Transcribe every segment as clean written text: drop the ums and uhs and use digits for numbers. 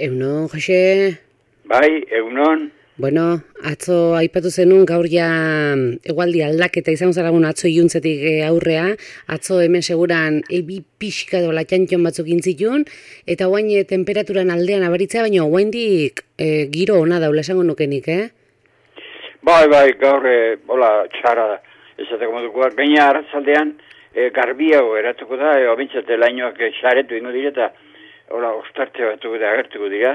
Eunon, Jose? Bai, egunon. Bueno, atzo aipatu zenun gaur ja egualdi aldaketa izango zaragun atzo iluntzetik aurrea. Atzo hemen seguran ebi pixka dola txantxon batzuk intzitun, eta guain temperaturan aldean abaritzea, baina guaindik giro ona daula esango nukenik, Bai, gaur, hola, txara esateko modukoa. Gaina arratzaldean garbiago eratuko da, obintzate lainoak xaretu ingo direta, hola, ostarte batuko da, agertuko dira.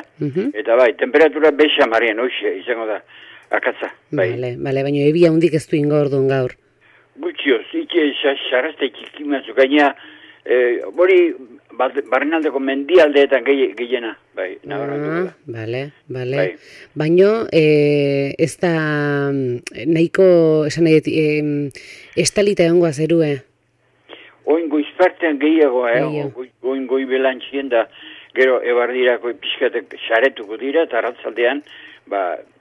Eta bai, temperatura bexa marien, hoxe, izango da, akatza. Bai. Bale, baina ebia hundik ez du ingo orduan gaur. Gutxioz, xarrazte txikimatzu, gaina, hori, barrenaldeko mendialdeetan gehiena, bai, nabarratuko da. Bale. Bai. Baina, ez da nahiko, esan nahi, estalita egongoa zerue. Oin goizpartean gehiagoa, oin goi belantxien da, gero ebardirako pixkatek xaretuko dira, eta arratzaldean,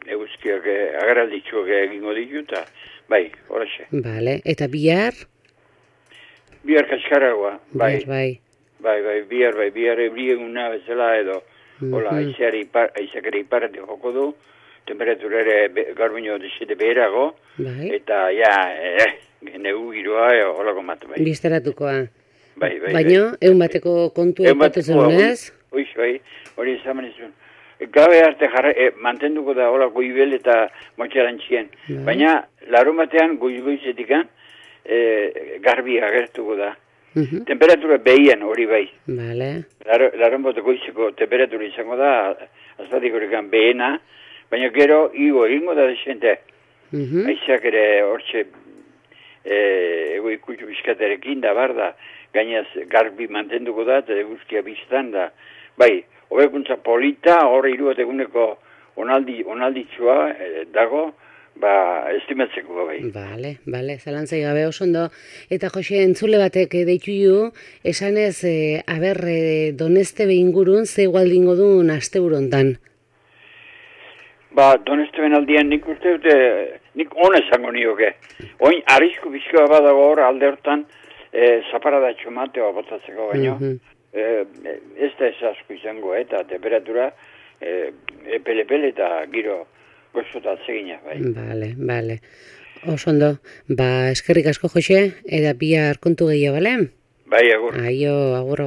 eguzkiak agaralditxuak egingo ditu, eta bai, horaxe. Bale, eta bihar? Bihar kaskaragoa, bai. Bihar ebrieguna bezala edo, hola, aizakere iparrati joko du, temperatura ere garbino desete beherago, eta negu giroa, holako matu, bai. Bizteratukoa. Bai. Baina, egun bateko kontu epatu zenez? Bai, hori ezaman izun. Gabe arte mantenduko da hola goibel eta motxarantxien. Baina, larun batean goizetikan garbi agertuko da. Temperatura behian hori bai. Bale. Larun bateko goizeko temperatura izango da, azpatik horrekan behena, baina gero egingo da desente. Aizak ere hortxe ego ikutxu bizkaterekin da, barda, gainaz garbi mantenduko da, eta eguzkia biztan da. Bai, hobekuntza polita, horre iruateguneko onalditxua dago, estimatzeko bai. Bale, zalantzai gabe oso ondo. Eta Jose, entzule batek deitu ju, esanez, Donestebe ingurun, ze igualdingo duen asteburontan. Donesteben aldian nik uste dute, nik hona esango nioke. Oin, arrisku bizkoa badago hor alde hortan, zaparadatxo mateoa botatzeko baino. Ez da ez asko izango, eta temperatura epele eta giro gozotat zegina, bai. Bale. Oso ondo, eskerrik asko Jose, eta bihar kontu gehiago, bale? Bai, agur. Aio, agur.